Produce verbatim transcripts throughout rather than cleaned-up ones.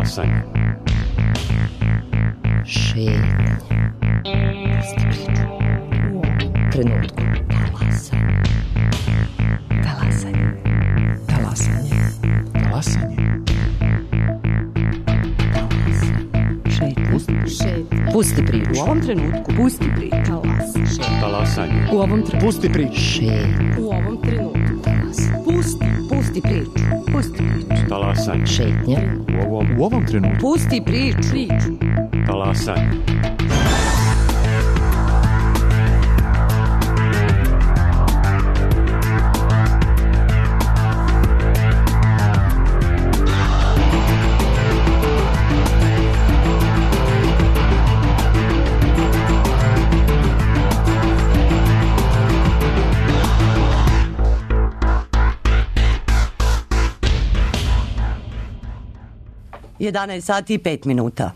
Talasanje. Šetnje. Trenutku. Talasanje. Talasanje. Talasanje. Talasanje. Šetnje. Šetnje. Pusti priču. U ovom trenutku. Pusti priču. Talasanje. U ovom trenutku. Pusti priču. Šetnje. U ovom trenutku. Talasanje. Pusti. Pusti priču. Pusti priču. Talasanje. Šetnje. U ovom, U ovom trenutku. Pusti priču. Priču. talasanje. jedanaest sati i pet minuta.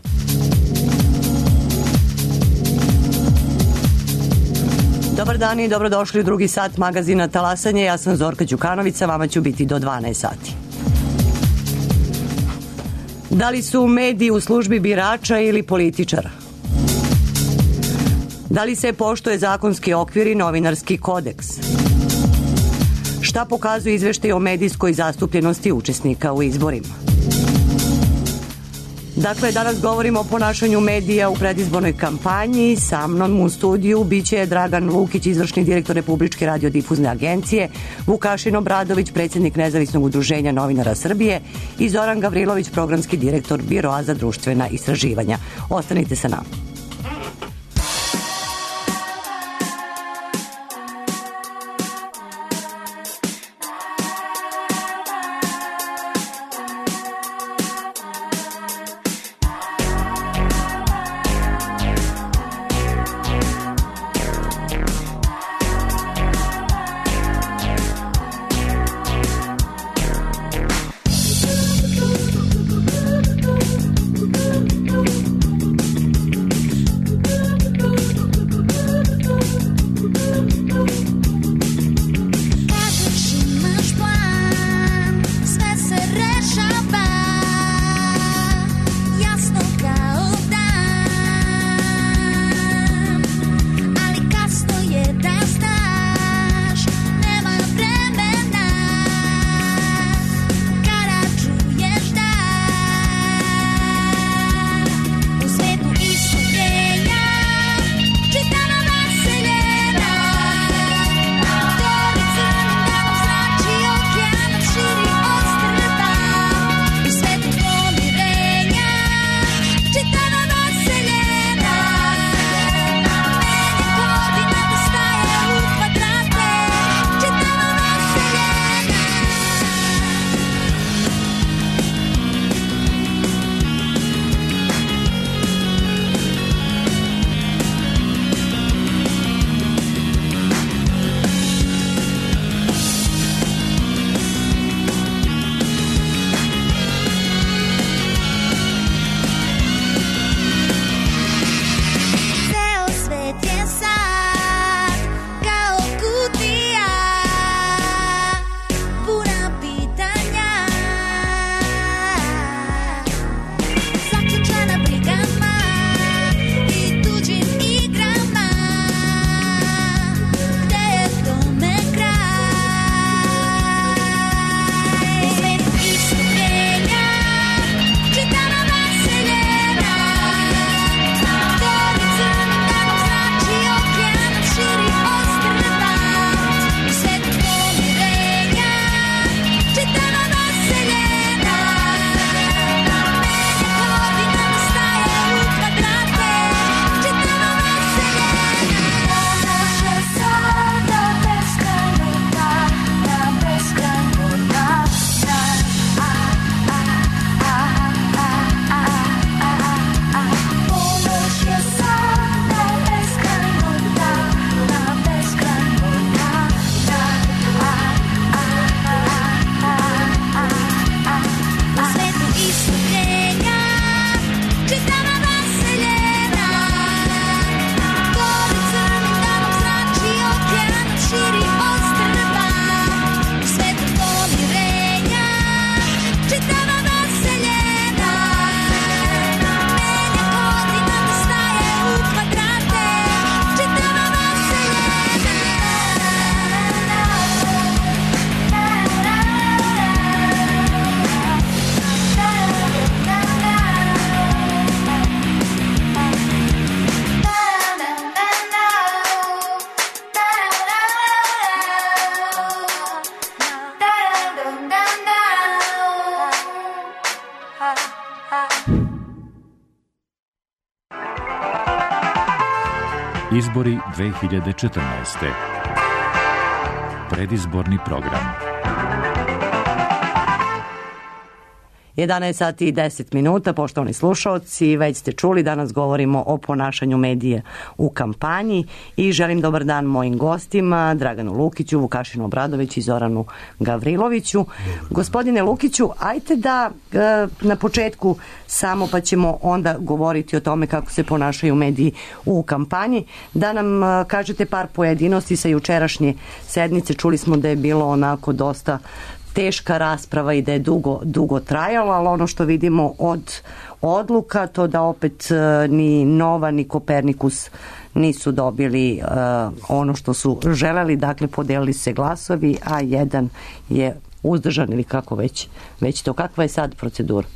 Dobar dan i dobrodošli u drugi sat magazina Talasanje. Ja sam Zorka Đukanović, vama ću biti do dvanaest sati. Da li su mediji u službi birača ili političara? Da li se poštuje zakonski okvir i novinarski kodeks? Šta pokazuje izveštaj o medijskoj zastupljenosti učesnika u izborima? Dakle, danas govorimo o ponašanju medija u predizbornoj kampanji. Sa mnom u studiju biće Dragan Lukić, izvršni direktor Republičke radiodifuzne agencije, Vukašin Obradović, predsjednik Nezavisnog udruženja novinara Srbije i Zoran Gavrilović, programski direktor Biroa za društvena istraživanja. Ostanite sa nama. Izbori dve hiljade četrnaeste. Predizborni program. jedanaest sati i deset minuta, poštovani slušaoci, već ste čuli, danas govorimo o ponašanju medija u kampanji i želim dobar dan mojim gostima, Draganu Lukiću, Vukašinu Obradović i Zoranu Gavriloviću. Gospodine Lukiću, ajte da na početku samo, pa ćemo onda govoriti o tome kako se ponašaju mediji u kampanji, da nam kažete par pojedinosti sa jučerašnje sednice. Čuli smo da je bilo onako dosta teška rasprava i da je dugo, dugo trajalo, ali ono što vidimo od odluka, to da opet ni Nova ni Kopernikus nisu dobili uh, ono što su želeli, dakle podelili se glasovi, a jedan je uzdržan ili kako već, već to. Kakva je sad procedura?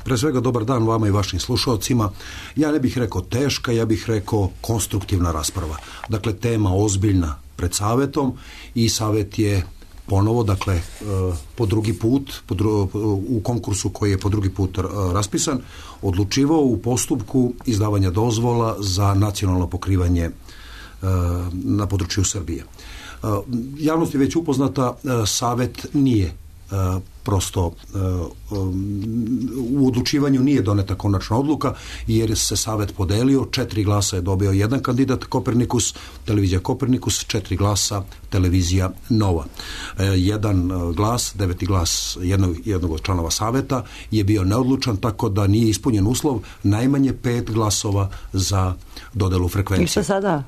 Pre svega dobar dan vama i vašim slušalcima. Ja ne bih rekao teška, ja bih rekao konstruktivna rasprava. Dakle, tema ozbiljna pred savetom i savet je ponovo, dakle, po drugi put, po dru, u konkursu koji je po drugi put raspisan, odlučivao u postupku izdavanja dozvola za nacionalno pokrivanje na području Srbije. Javnost je već upoznata, savet nije prosto u odlučivanju nije doneta konačna odluka jer se savet podelio, četiri glasa je dobio jedan kandidat Kopernikus, televizija Kopernikus, četiri glasa televizija Nova. Jedan glas, deveti glas jednog, jednog od članova saveta je bio neodlučan, tako da nije ispunjen uslov najmanje pet glasova za dodelu frekvencije. I što sada?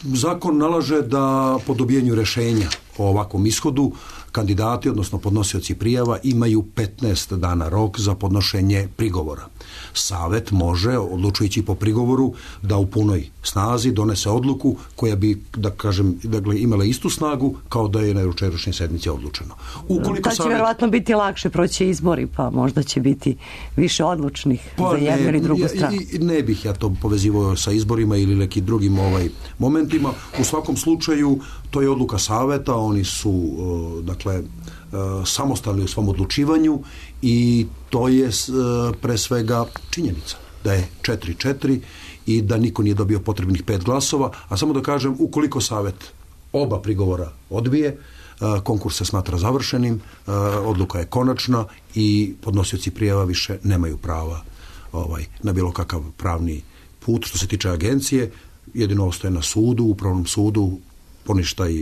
Zakon nalaže da po dobijenju rešenja o ovakvom ishodu kandidati, odnosno podnosioci prijava, imaju petnaest dana rok za podnošenje prigovora. Savet može, odlučujući po prigovoru, da u punoj snazi donese odluku koja bi, da kažem, dakle, imala istu snagu kao da je na jučerašnjoj sednici odlučeno. Ukoliko to će savet... vjerovatno biti lakše proći izbori, pa možda će biti više odlučnih pa za jednu ili drugu stranu. Ne bih ja to povezivao sa izborima ili nekim drugim ovaj momentima. U svakom slučaju, to je odluka saveta, oni su, dakle, samostalni u svom odlučivanju i to je pre svega činjenica da je četiri četiri i da niko nije dobio potrebnih pet glasova, a samo da kažem, ukoliko savet oba prigovora odbije, konkurs se smatra završenim, odluka je konačna i podnosioci prijava više nemaju prava ovaj, na bilo kakav pravni put. Što se tiče agencije, jedino ostaje na sudu, upravnom sudu, poništaj,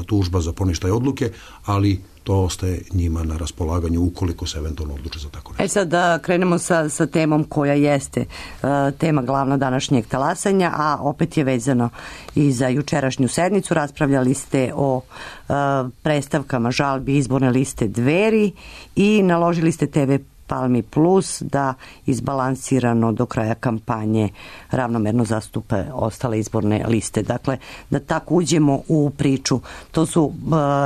tužba za poništaj odluke, ali to ostaje njima na raspolaganju ukoliko se eventualno odluče za tako nešto. E sad da krenemo sa, sa temom koja jeste uh, tema glavna današnjeg talasanja, a opet je vezano i za jučerašnju sednicu. Raspravljali ste o uh, predstavkama žalbi izborne liste Dveri i naložili ste te ve Palmi Plus da izbalansirano do kraja kampanje ravnomerno zastupe ostale izborne liste. Dakle, da tako uđemo u priču. To su uh,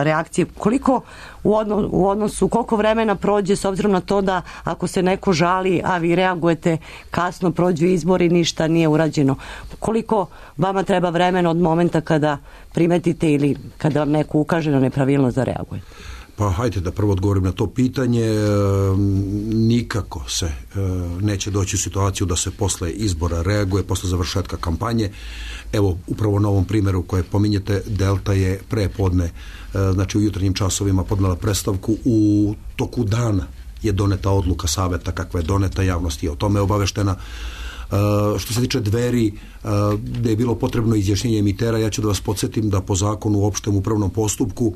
reakcije. Koliko u, odno, u odnosu, koliko vremena prođe s obzirom na to da ako se neko žali, a vi reagujete kasno, prođu izbori, ništa nije urađeno. Koliko vama treba vremena od momenta kada primetite ili kada vam neko ukaže na nepravilnost da reagujete? Pa hajde da prvo odgovorim na to pitanje. E, nikako se e, neće doći u situaciju da se posle izbora reaguje, posle završetka kampanje. Evo, upravo na ovom primjeru koje pominjete, Delta je pre podne, e, znači u jutarnjim časovima podnela predstavku, u toku dana je doneta odluka saveta kakva je doneta, javnost je o tome obaveštena. Uh, što se tiče Dveri, uh, da je bilo potrebno izjašnjenje emitera, ja ću da vas podsjetim da po zakonu u opštem upravnom postupku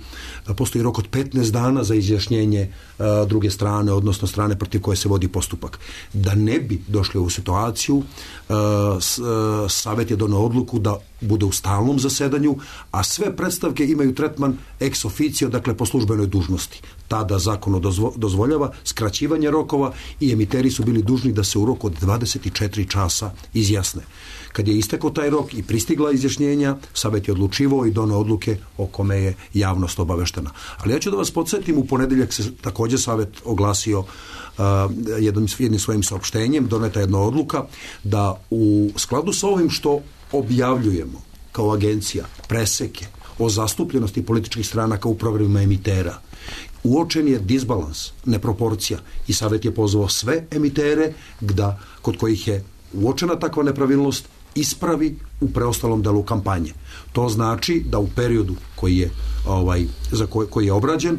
da postoji rok od petnaest dana za izjašnjenje uh, druge strane, odnosno strane protiv koje se vodi postupak. Da ne bi došli u situaciju, uh, s, uh, savet je doneo odluku da bude u stalnom zasedanju, a sve predstavke imaju tretman ex officio, dakle po službenoj dužnosti. Tada zakon dozvo, dozvoljava skraćivanje rokova i emiteri su bili dužni da se u roku od dvadeset četiri časa izjasne. Kad je istekao taj rok i pristigla izjašnjenja, savet je odlučivao i doneo odluke o kome je javnost obaveštena. Ali ja ću da vas podsjetim, u ponedeljak se također savet oglasio uh, jednim, jednim svojim saopštenjem, doneta jedna odluka da u skladu sa ovim što objavljujemo kao agencija preseke o zastupljenosti političkih stranaka u programima emitera, uočen je disbalans, neproporcija i savet je pozvao sve emitere da, kod kojih je uočena takva nepravilnost, ispravi u preostalom delu kampanje. To znači da u periodu koji je, ovaj, za koji, koji je obrađen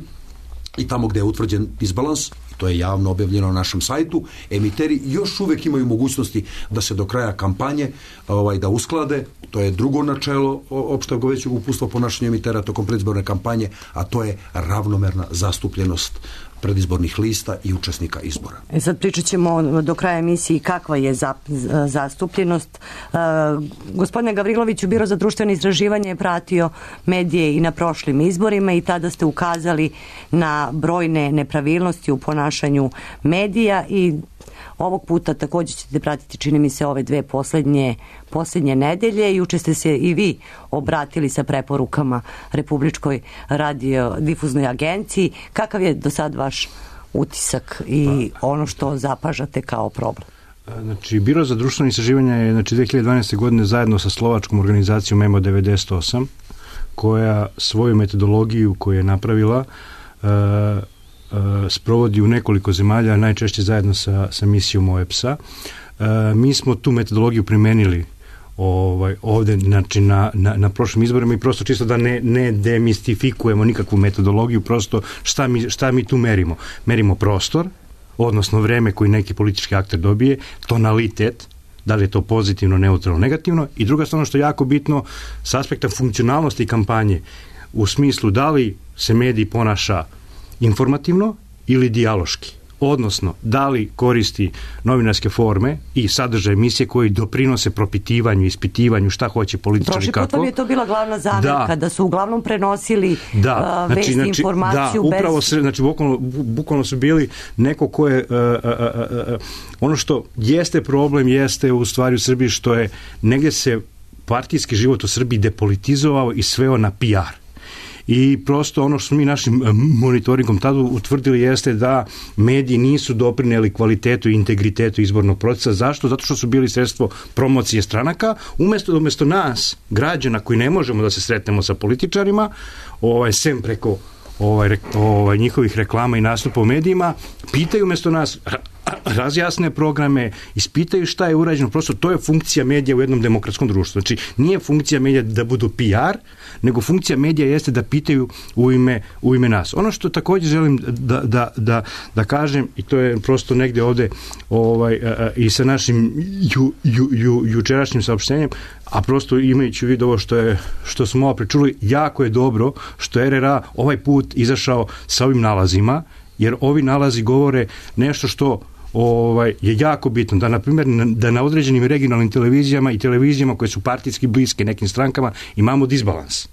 i tamo gde je utvrđen disbalans, to je javno objavljeno na našem sajtu, emiteri još uvek imaju mogućnosti da se do kraja kampanje ovaj, da usklade. To je drugo načelo opšteg većeg uputstva ponašanja emitera tokom predizborne kampanje, a to je ravnomerna zastupljenost predizbornih lista i učesnika izbora. E sad pričat ćemo do kraja emisiji kakva je za, zastupljenost. E, gospodine Gavriloviću, Biro za društveno istraživanje je pratio medije i na prošlim izborima i tada ste ukazali na brojne nepravilnosti u ponašanju medija i ovog puta također ćete pratiti, čini mi se, ove dve poslednje, poslednje nedelje. Juče ste se i vi obratili sa preporukama Republičkoj radiodifuznoj agenciji. Kakav je do sad vaš utisak i ono što zapažate kao problem? Znači, Biro za društveno istraživanje je znači, dve hiljade dvanaeste. godine zajedno sa slovačkom organizacijom Memo devedeset osam, koja svoju metodologiju koju je napravila uh, sprovodi u nekoliko zemalja, najčešće zajedno sa, sa misijom O E P S-a. E, mi smo tu metodologiju primenili ovaj, ovde znači, na, na, na prošlim izborima i prosto čisto da ne, ne demistifikujemo nikakvu metodologiju, prosto šta mi, šta mi tu merimo. Merimo prostor, odnosno vreme koji neki politički akter dobije, tonalitet, da li je to pozitivno, neutralno, negativno, i druga stvar što je jako bitno s aspekta funkcionalnosti kampanje, u smislu da li se medij ponaša informativno ili dijaloški, odnosno da li koristi novinarske forme i sadržaj emisije koji doprinose propitivanju, ispitivanju šta hoće političari kako. Prošli put vam je to bila glavna zamerka, da, da su uglavnom prenosili da, uh, vesti, znači, informaciju da, bez... upravo se, znači bukvalno, bukvalno su bili neko ko je, uh, uh, uh, ono što jeste problem jeste u stvari u Srbiji što je negdje se partijski život u Srbiji depolitizovao i sveo na P R. I prosto ono što smo mi našim monitoringom tada utvrdili jeste da mediji nisu doprineli kvalitetu i integritetu izbornog procesa. Zašto? Zato što su bili sredstvo promocije stranaka, umjesto, umjesto nas, građana koji ne možemo da se sretnemo sa političarima, ovaj, sem preko ovaj, ovaj, njihovih reklama i nastupa u medijima, pitaju umjesto nas razjasne programe, ispitaju šta je urađeno, prosto to je funkcija medija u jednom demokratskom društvu. Znači, nije funkcija medija da budu P R, nego funkcija medija jeste da pitaju u ime, u ime nas. Ono što također želim da, da, da, da kažem, i to je prosto negdje ovdje ovaj, i sa našim ju, ju, ju, jučerašnjim saopštenjem, a prosto imajući u vidu ovo što, je, što smo ovo pričuli, jako je dobro što R R A ovaj put izašao sa ovim nalazima, jer ovi nalazi govore nešto što ovaj, je jako bitno, da na primjer da na određenim regionalnim televizijama i televizijama koje su partijski bliske nekim strankama imamo disbalans.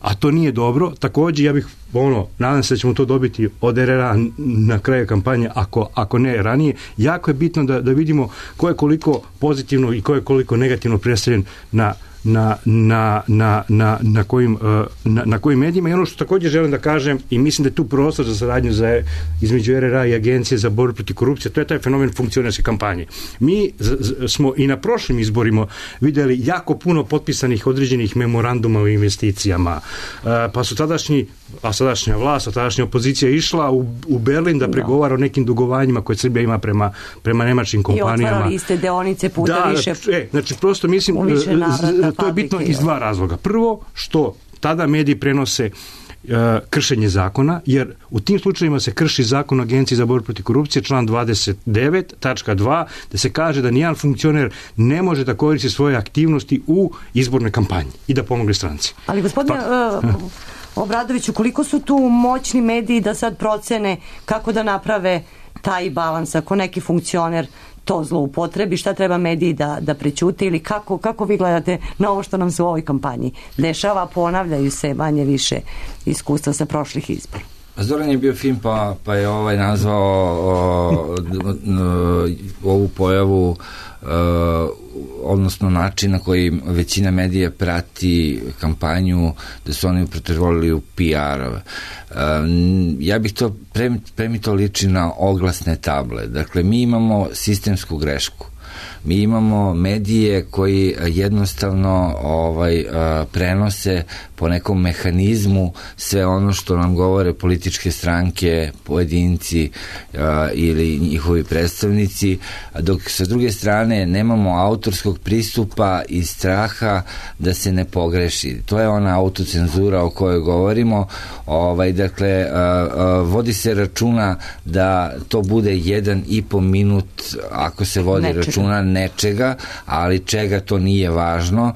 A to nije dobro. Također ja bih, ono, nadam se da ćemo to dobiti od R R A na kraju kampanje, ako, ako ne ranije. Jako je bitno da, da vidimo ko je koliko pozitivno i ko je koliko negativno predstavljen na Na, na, na, na, na, kojim, na, na kojim medijima. I ono što također želim da kažem, i mislim da je tu prostor za saradnju za, između R R A i Agencije za borbu protiv korupcije, to je taj fenomen funkcionerske kampanje. Mi z, z, smo i na prošlim izborima vidjeli jako puno potpisanih određenih memoranduma o investicijama, pa su tadašnji, a sadašnja vlast, a tadašnja opozicija išla u, u Berlin da pregovara o nekim dugovanjima koje Srbija ima prema, prema nemačkim kompanijama. I otvarali ste deonice puta da, više. E, znači, prosto mislim, to je bitno iz dva razloga. Prvo, što tada mediji prenose uh, kršenje zakona, jer u tim slučajima se krši zakon o Agenciji za borbu protiv korupcije, član dvadeset devet tačka dva, da se kaže da nijedan funkcioner ne može da koristi svoje aktivnosti u izbornoj kampanji i da pomogne stranci. Ali gospodine pa, uh, Obradoviću, koliko su tu moćni mediji da sad procene kako da naprave taj balans, ako neki funkcioner to zloupotrebi, šta treba mediji da, da prećute ili kako, kako vi gledate na ovo što nam se u ovoj kampanji dešava, ponavljaju se manje više iskustva sa prošlih izbora? Zoran je bio film pa, pa je ovaj nazvao o, o, ovu pojavu o, odnosno način na koji većina medija prati kampanju, da su oni pretvorili u P R-ove. Um, ja bih to, pre, pre mi to liči na oglasne table. Dakle, mi imamo sistemsku grešku. Mi imamo medije koji jednostavno ovaj, prenose po nekom mehanizmu sve ono što nam govore političke stranke, pojedinci ili njihovi predstavnici, dok sa druge strane nemamo autorskog pristupa i straha da se ne pogreši. To je ona autocenzura o kojoj govorimo. Ovaj, dakle, vodi se računa da to bude jedan i po minut, ako se vodi nečega. računa nečega, ali čega to nije važno,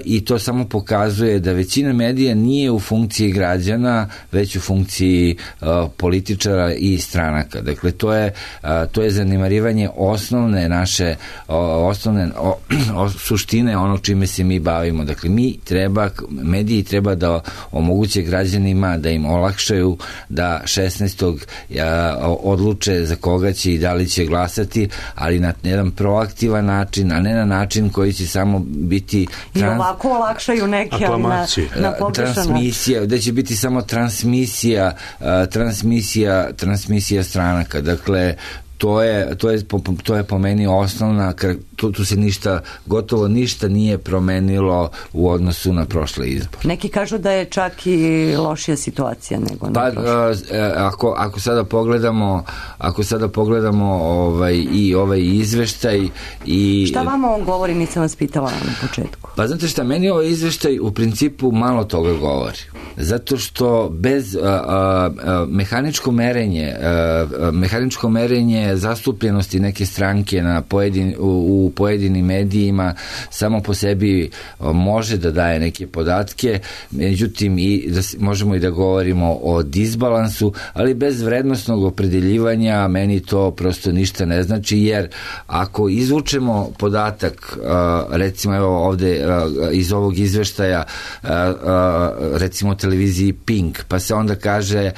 i to samo pokazuje da većina medija nije u funkciji građana, već u funkciji političara i stranaka. Dakle, to je, to je zanemarivanje osnovne naše osnovne o, o, suštine onog čime se mi bavimo. Dakle, mi treba, mediji treba da omoguće građanima da im olakšaju da šesnaestog odluče za koga će i da li će glasati, ali na jedan proaktivan način, a ne na način koji će samo biti trans... i ovako olakšaju neke, ali na, na pogrešan transmisija, da će biti samo transmisija transmisija transmisija stranaka. Dakle, to je, to je, to je po meni osnovna, tu, tu se ništa, gotovo ništa nije promenilo u odnosu na prošle izbore. Neki kažu da je čak i lošija situacija nego na pa, prošle. Ako, ako sada pogledamo, ako sada pogledamo ovaj, i ovaj izveštaj i... Šta vama on govori, nisam vas pitala na početku? Pa znate šta, meni ovaj izveštaj u principu malo toga govori. Zato što bez a, a, a, mehaničko merenje, a, a, mehaničko merenje zastupljenosti neke stranke na pojedin, u, u pojedinim medijima samo po sebi može da daje neke podatke, međutim i da, možemo i da govorimo o disbalansu, ali bez vrednostnog opredeljivanja meni to prosto ništa ne znači, jer ako izvučemo podatak, recimo evo ovde iz ovog izveštaja, recimo televiziji Pink, pa se onda kaže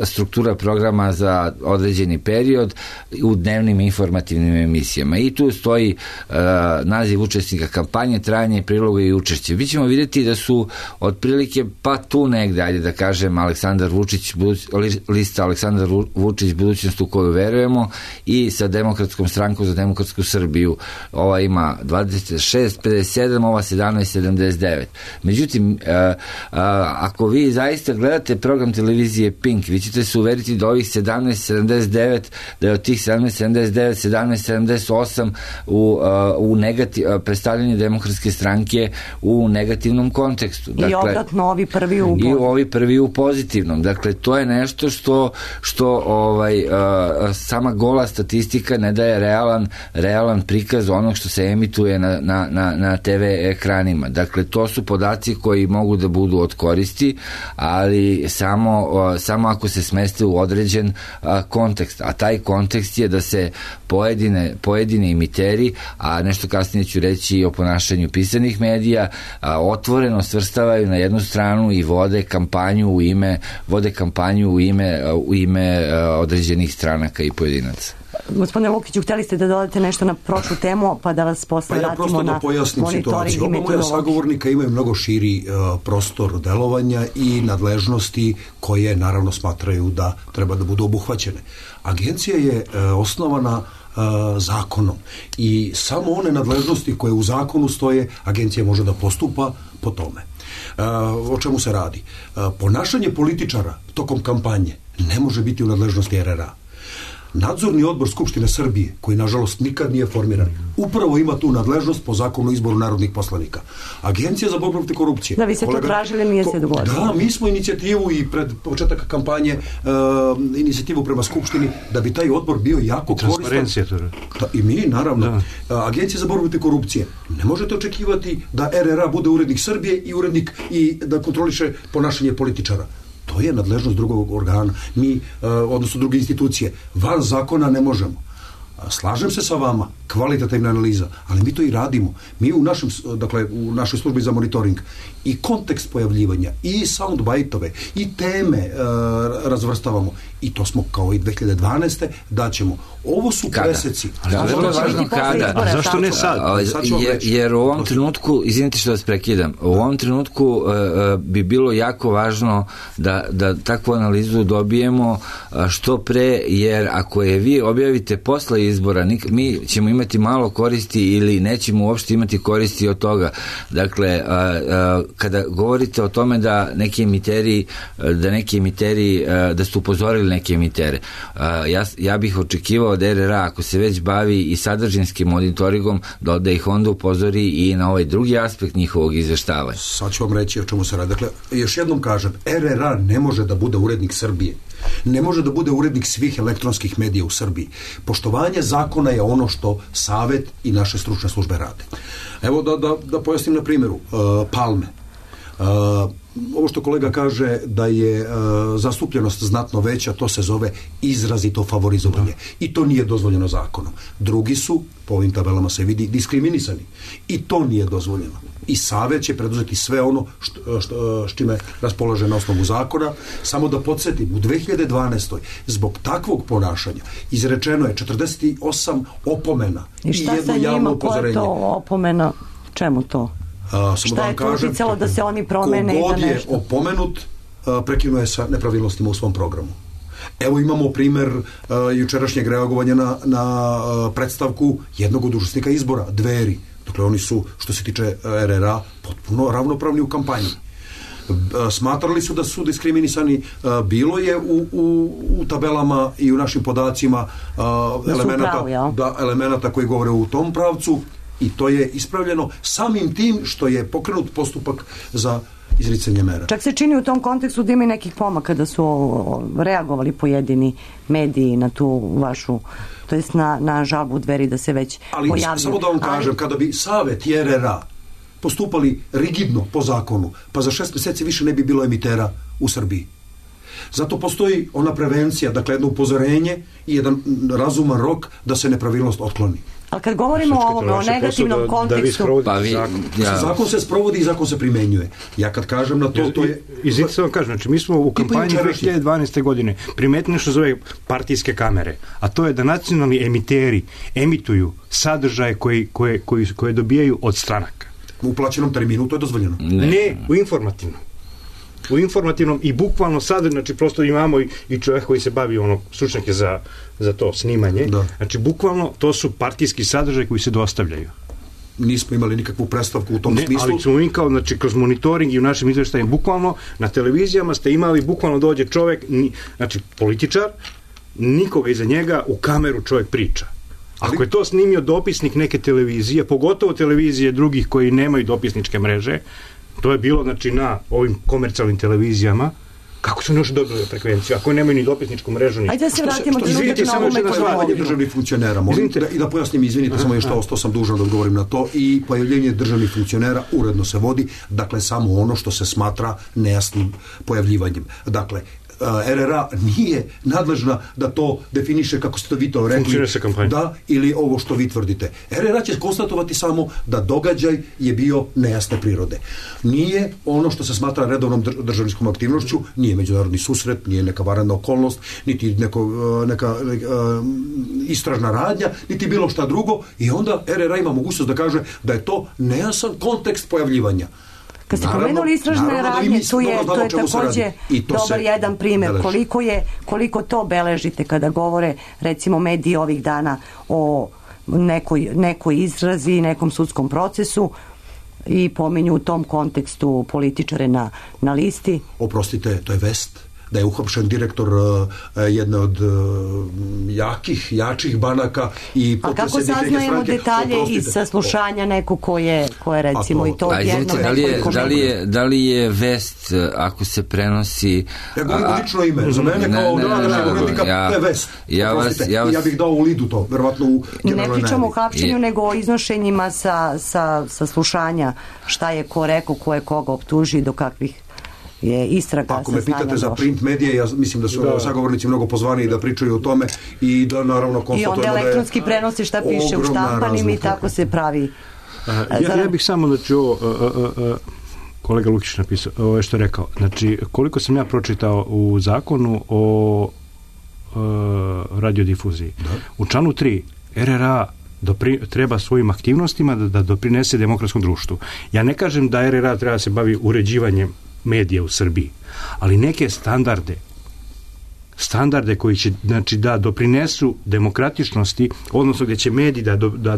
struktura programa za određeni period u dnevnim informativnim emisijama i tu stoji uh, naziv učesnika kampanje, trajanje priloga i učešće. Vi ćemo vidjeti da su otprilike pa tu negde, ajde da kažem, Aleksandar Vučić, buduć, lista Aleksandar Vučić, budućnost u koju verujemo, i sa Demokratskom strankom za demokratsku Srbiju. Ova ima dvadeset šest pedeset sedam, ova sedamnaest sedamdeset devet. Međutim, uh, uh, ako vi zaista gledate program televizije Pink, vi ćete se uveriti da ovih sedamnaest sedamdeset devet, da je od tih sedamnaest sedamdeset devet, sedamnaest sedamdeset osam u, u negativ, predstavljanje demokratske stranke u negativnom kontekstu. Dakle, i obratno ovi prvi u i ovi prvi u pozitivnom. Dakle, to je nešto što, što ovaj, sama gola statistika ne daje realan, realan prikaz onog što se emituje na, na, na, na te ve ekranima. Dakle, to su podaci koji mogu da budu od koristi, ali samo, samo ako se smeste u određen kontekst. A taj kontekst je da se pojedine, pojedine emiteri, a nešto kasnije ću reći i o ponašanju pisanih medija, a, otvoreno svrstavaju na jednu stranu i vode kampanju u ime vode kampanju u ime u ime a, određenih stranaka i pojedinaca. Gospodine Lukiću, htjeli ste da dodate nešto na prošlu temu, pa da vas posle pa ja vratimo na monitoring i meteorologiju. Oba moja sagovornika imaju mnogo širi uh, prostor delovanja i nadležnosti koje naravno smatraju da treba da budu obuhvaćene. Agencija je uh, osnovana uh, zakonom i samo one nadležnosti koje u zakonu stoje, agencija može da postupa po tome. Uh, o čemu se radi? Uh, ponašanje političara tokom kampanje ne može biti u nadležnosti er er a. Nadzorni odbor Skupštine Srbije, koji nažalost nikad nije formiran, upravo ima tu nadležnost po zakonu o izboru narodnih poslanika. Agencija za borbu protiv korupcije. Da, vi ste to tražili, nije se dogodilo. Da, mi smo inicijativu i pred početak kampanje uh, inicijativu prema Skupštini da bi taj odbor bio jako koristan. Da, i mi, naravno. Da. Agencija za borbu protiv korupcije. Ne možete očekivati da er er a bude urednik Srbije i urednik i da kontroliše ponašanje političara. To je nadležnost drugog organa. Mi, odnosno druge institucije, van zakona ne možemo. Slažem se sa vama, kvalitativna analiza, ali mi to i radimo. Mi u našem, dakle, u našoj službi za monitoring i kontekst pojavljivanja, i soundbite-ove, i teme e, razvrstavamo. I to smo kao i dve hiljade dvanaeste daćemo. Ovo su kada? preseci. Ali da, vrlo važno kada. A zašto ne sad? A, sad jer, jer u ovom trenutku, izvinite što vas prekidam, u ovom trenutku uh, bi bilo jako važno da, da takvu analizu dobijemo što pre, jer ako je vi objavite posle izbora, nik, mi ćemo imati malo koristi ili nećemo uopšte imati koristi od toga. Dakle, a, a, kada govorite o tome da neki emiteri, da neki emiteri, a, da ste upozorili neke emitere, a, ja, ja bih očekivao od R R A, ako se već bavi i sadržinskim monitoringom, da, da ih onda upozori i na ovaj drugi aspekt njihovog izveštavanja. Sad ću vam reći o čemu se radi. Dakle, još jednom kažem, R R A ne može da bude urednik Srbije. Ne može da bude urednik svih elektronskih medija u Srbiji. Poštovanje zakona je ono što Savet i naše stručne službe rade. Evo da, da, da pojasnim na primjeru. Uh, Palme. Uh, ovo što kolega kaže da je uh, zastupljenost znatno veća, to se zove izrazito favorizovanje. Da. I to nije dozvoljeno zakonom. Drugi su, po ovim tabelama se vidi, diskriminisani. I to nije dozvoljeno. I Savet će preduzeti sve ono što, što, s čime raspolaže na osnovu zakona. Samo da podsjetim, u dve hiljade dvanaestoj zbog takvog ponašanja izrečeno je četrdeset osam opomena i, i jedno javno upozorenje. I šta sa njima, koja je to opomena? Čemu to? A, šta da je to uticalo da se oni promene i da nešto? Kogod je opomenut, a, prekinuje sa nepravilnostima u svom programu. Evo imamo primer a, jučerašnjeg reagovanja na, na a, predstavku jednog od učesnika izbora, Dveri. Dakle, oni su, što se tiče R R A, potpuno ravnopravni u kampanji. Smatrali su da su diskriminisani. Bilo je u, u, u tabelama i u našim podacima elemenata, pravi, ja. da, elemenata koji govore u tom pravcu i to je ispravljeno samim tim što je pokrenut postupak za izricanje mera. Čak se čini u tom kontekstu da ima nekih pomaka da su reagovali pojedini mediji na tu vašu, to jest na, na žalbu Dveri da se već ali, pojavljaju. Ali samo da vam kažem, ali... kada bi Savet i R R A postupali rigidno po zakonu, pa za šest mjeseci više ne bi bilo emitera u Srbiji. Zato postoji ona prevencija, dakle jedno upozorenje i jedan razuman rok da se nepravilnost otkloni. Ali kad govorimo o ovom, o negativnom da, kontekstu... Da pa vi, zakon. Ja. Zakon se sprovodi i zakon se primjenjuje. Ja kad kažem na to, to je... Izvinite vam kažem, znači mi smo u kampanji dve hiljade dvanaeste. godine primetili što zove partijske kamere, a to je da nacionalni emiteri emituju sadržaje koji, koje, koji, koje dobijaju od stranaka. U plaćenom terminu to je dozvoljeno? Ne, ne u informativnom. U informativnom i bukvalno sad, znači prosto imamo i, i čovjek koji se bavi ono, stručnjake za, za to snimanje, da. Znači bukvalno to su partijski sadržaj koji se dostavljaju. Nismo imali nikakvu predstavku u tom ne, smislu. Ali smo mi kao, znači, kroz monitoring i u našim izveštajima, bukvalno na televizijama ste imali, bukvalno dođe čovjek, ni, znači političar, nikoga iza njega, u kameru čovjek priča. Ako je to snimio dopisnik neke televizije, pogotovo televizije drugih koji nemaju dopisničke mreže, to je bilo, znači, na ovim komercijalnim televizijama, kako su još dobili frekvenciju, ako nemaju ni dopisničku mrežu, ni... Ajde da se vratimo što, što, izvinite, samo još jedna stvar, državnih funkcionera. Molim da, i da pojasnim, izvinite, samo još to, ostao sam dužan da odgovorim na to, i pojavljenje državnih funkcionera uredno se vodi, dakle, samo ono što se smatra nejasnim pojavljivanjem. Dakle, R R A nije nadležna da to definiše, kako ste vi to rekli, da, ili ovo što vi tvrdite. R R A će konstatovati samo da događaj je bio nejasne prirode. Nije ono što se smatra redovnom državničkom aktivnošću, nije međunarodni susret, nije neka vanredna okolnost, niti neko, neka, neka istražna radnja, niti bilo šta drugo, i onda R R A ima mogućnost da kaže da je to nejasan kontekst pojavljivanja. Kad ste pomenuli istražne radnje, tu je, to je također dobar jedan primjer. Koliko, je, koliko to beležite kada govore, recimo, mediji ovih dana o nekoj, nekoj izrazi, nekom sudskom procesu i pominju u tom kontekstu političare na, na listi? Oprostite, to je vest. Da je uhapšen direktor uh, jedne od uh, jakih, jačih banaka i a kako saznajemo detalje iz saslušanja neko ko je, ko je recimo to, i to a, jedno da li, je, da, li je, da li je vest ako se prenosi ja govorim lično ime, za mene kao današnjeg urednika to je vest. Ja, vas, ja, vas, ja bih dao u lidu to, verovatno u ne pričamo o hapšenju, nego o iznošenjima sa, sa saslušanja, šta je ko rekao, ko je koga optuži, do kakvih je istraga. Ako me pitate za print medije, ja mislim da su da. sagovornici mnogo pozvani da pričaju o tome i da naravno konstatujemo da je... I onda elektronski prenosi šta piše u štampanim i tako se pravi. A, ja, ja bih samo, znači, ovo, a, a, a, kolega Lukić napisao, ovo je što je rekao, znači, koliko sam ja pročitao u zakonu o a, radiodifuziji, da. U članu tri R R A Dopri, treba svojim aktivnostima da, da doprinese demokratskom društvu. Ja ne kažem da R R A treba se bavi uređivanjem medija u Srbiji, ali neke standarde standarde koji će, znači, da doprinesu demokratičnosti, odnosno gdje će mediji da, do, da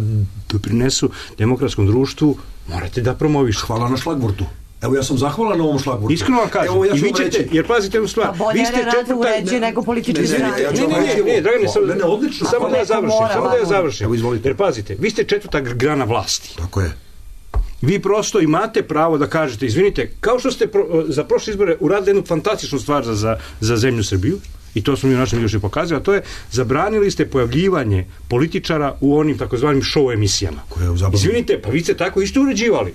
doprinesu demokratskom društvu, morate da promovišete. Hvala na šlagvortu. Evo, ja sam zahvalan na ovom šlagvortu. Iskreno vam kažem. Evo, ja I vi ćete, reći... jer pazite jednu stvar. Pa bolje vi ste rade uređe nego politički stranke. Ne, ne, ne, ne, Dragane, samo, ne, ne, odlično. samo da ja završim, samo da ja završim. Evo, izvolite. Jer pazite, vi ste četvrta grana vlasti. Tako je. Vi prosto imate pravo da kažete, izvinite, kao što ste pro, za prošle izbore uradili jednu fantastičnu stvar za, za, za zemlju Srbiju, i to smo mi u našem još i pokazali, a to je zabranili ste pojavljivanje političara u onim takozvanim show emisijama. Izvinite, pa vi ste tako isto uređivali.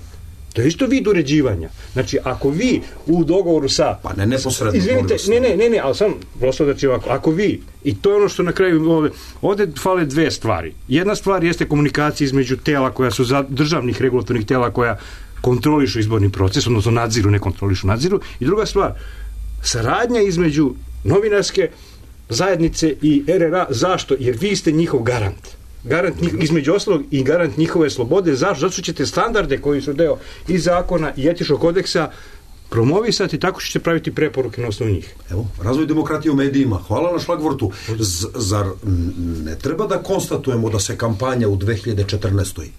To je isto vid uređivanja. Znači, ako vi u dogovoru sa... Pa ne neposredno. Izvinite, ne, ne, ne, ne, ali sam prosto znači ovako, ako vi, i to je ono što na kraju ovde, ovde fale dve stvari. Jedna stvar jeste komunikacija između tela koja su za državnih regulatornih tela koja kontrolišu izborni proces, odnosno nadziru, ne kontrolišu, nadziru. I druga stvar, saradnja između novinarske zajednice i R R A. Zašto? Jer vi ste njihov garant. Garant, između ostalog i garant njihove slobode. Zašto? Zato što ćete standarde koji su deo i zakona i etičkog kodeksa promovisati, tako ćete praviti preporuke na osnovu njih. Evo, razvoj demokratije u medijima. Hvala na šlagvortu. Z, zar ne treba da konstatujemo da se kampanja u dve hiljade četrnaestoj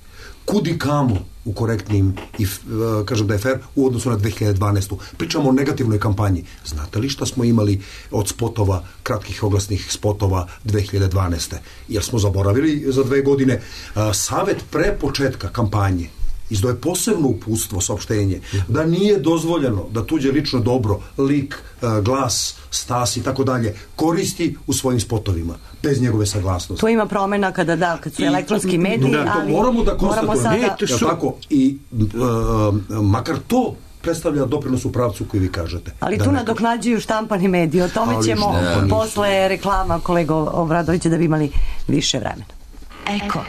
kudi kamo u korektnim i, kažem da je fair, u odnosu na dve hiljade dvanaestu. Pričamo o negativnoj kampanji. Znate li šta smo imali od spotova, kratkih oglasnih spotova dve hiljade dvanaeste. Jer smo zaboravili za dve godine. Savet pre početka kampanje izdao je posebno uputstvo, saopštenje, da nije dozvoljeno da tuđe lično dobro, lik, glas, stas i tako dalje koristi u svojim spotovima, bez njegove saglasnosti. To ima promena kada da, kad su I, elektronski mediji, da, ali moramo da konstatujemo. Sada... Ne, su... tako, i uh, makar to predstavlja doprinos u pravcu koji vi kažete. Ali tu nadoknađuju štampani mediji. O tome ali ćemo ne, posle reklama kolego Obradovića da bi imali više vremena. Eko.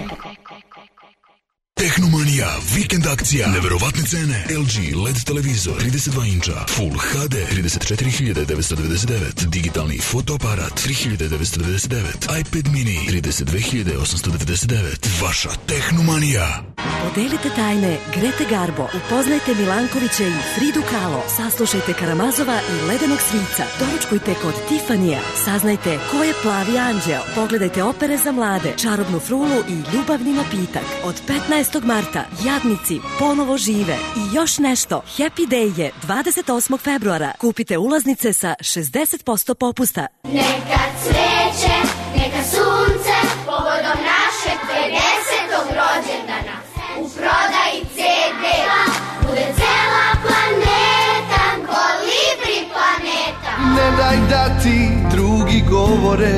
Tehnomanija, vikend akcija, neverovatne cene, L G L E D televizor, trideset dva inča, Full H D, trideset četiri hiljade devetsto devedeset devet, digitalni fotoaparat, tri hiljade devetsto devedeset devet, iPad mini, trideset dve hiljade osamsto devedeset devet, vaša Tehnomanija. Podelite tajne Grete Garbo, upoznajte Milankovića i Fridu Kahlo, saslušajte Karamazova i Ledenog svinca, doručkujte kod Tifanija, saznajte ko je Plavi anđeo, pogledajte opere za mlade, Čarobnu frulu i Ljubavni napitak. Od petnaestog marta Jadnici ponovo žive i još nešto. Happy Day je dvadeset osmog februara. Kupite ulaznice sa šezdeset posto popusta. Neka cveće, neka sunce, povodom našeg pedesetog rođendana. U prodaji ce de bude cela planeta, Kolibri planeta. Ne daj da ti drugi govore,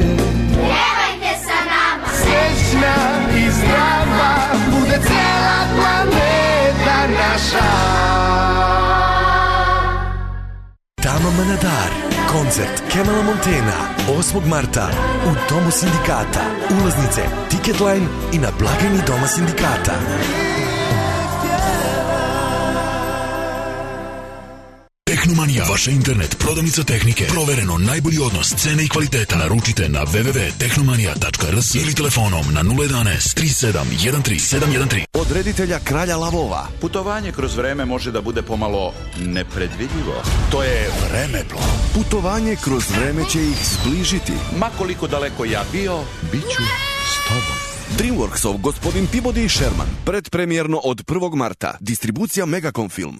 pevajte sa nama, srećna i zdrava, bude cela planeta naša. Tama Manadar, koncert Kemala Montena, osmog marta u Domu sindikata. Ulaznice Ticketline i na blagajni Doma sindikata. Tehnomanija, vaša internet prodavnica tehnike. Provereno najbolji odnos cene i kvaliteta. Naručite na w w w tačka tehnomanija tačka r s ili telefonom na nula jedanaest tri sedam jedan tri sedam jedan tri. Od reditelja Kralja lavova. Putovanje kroz vreme može da bude pomalo nepredvidljivo. To je Vremeplov. Putovanje kroz vreme će ih zbližiti. Ma koliko daleko ja bio, bit ću s tobom. Dreamworksov gospodin Peabody i Sherman. Predpremjerno od prvog marta. Distribucija Megacom Film.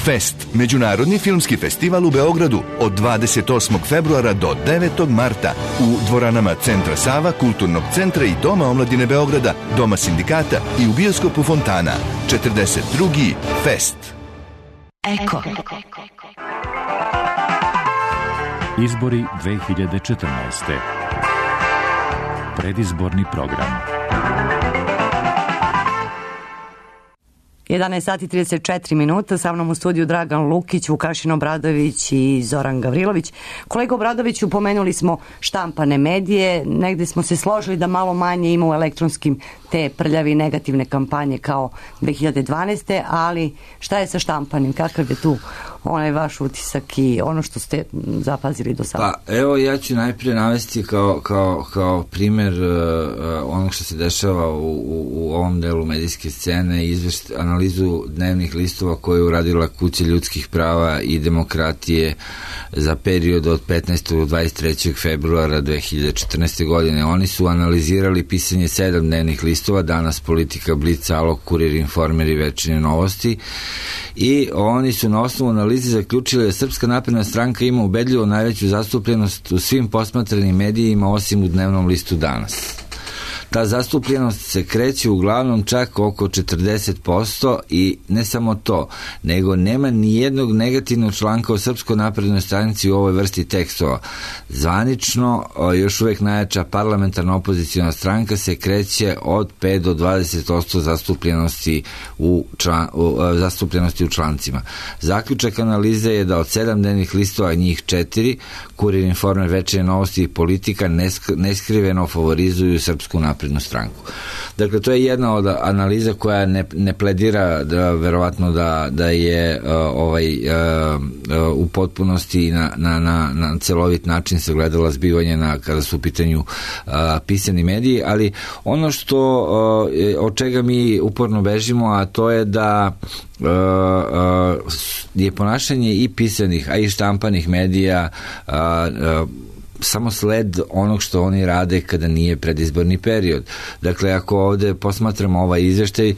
Fest, međunarodni filmski festival u Beogradu od dvadeset osmog februara do devetog marta u dvoranama Centra Sava, Kulturnog centra i Doma omladine Beograda, Doma sindikata i u bioskopu Fontana. četrdeset drugi Fest. Eko. Izbori dve hiljade četrnaeste. Predizborni program. jedanaest sati trideset četiri minuta, sa mnom u studiju Dragan Lukić, Vukašin Obradović i Zoran Gavrilović. Kolega Obradoviću, pomenuli smo štampane medije, negde smo se složili da malo manje ima u elektronskim te prljavi negativne kampanje kao dve hiljade dvanaeste. Ali šta je sa štampanim, kakav je tu onaj vaš utisak i ono što ste zapazili do sada? Pa evo ja ću najprije navesti kao, kao, kao primer uh, onog što se dešava u, u, u ovom delu medijske scene i izvešt, analizu dnevnih listova koje je uradila Kuća ljudskih prava i demokratije za period od petnaestog do dvadeset trećeg februara dve hiljade četrnaeste. godine. Oni su analizirali pisanje sedam dnevnih listova, Danas, Politika, Blic, Alog, Kurir, Informer i Večernje novosti, i oni su na osnovu analize zaključili da Srpska napredna stranka ima ubedljivo najveću zastupljenost u svim posmatranim medijima osim u dnevnom listu Danas. Ta zastupljenost se kreće uglavnom čak oko četrdeset posto i ne samo to, nego nema ni jednog negativnog članka o Srpskoj naprednoj stranici u ovoj vrsti tekstova. Zvanično, još uvek najjača parlamentarna opozicijona stranka se kreće od pet do dvadeset posto zastupljenosti u, član, u, zastupljenosti u člancima. Zaključak analize je da od sedam dnevnih listova njih četiri, Kurir, Informer, Večernje novosti i Politika, neskriveno favorizuju Srpsku naprednu naprednu stranku. Dakle, to je jedna od analiza koja ne, ne pledira da, verovatno da, da je uh, ovaj, uh, uh, u potpunosti na, na, na, na celovit način se gledala zbivanje na, kada su u pitanju uh, pisani mediji, ali ono što uh, od čega mi uporno bežimo, a to je da Uh, uh, je ponašanje i pisanih, a i štampanih medija uh, uh, samo sled onog što oni rade kada nije predizborni period. Dakle, ako ovde posmatramo ovaj izveštaj, uh,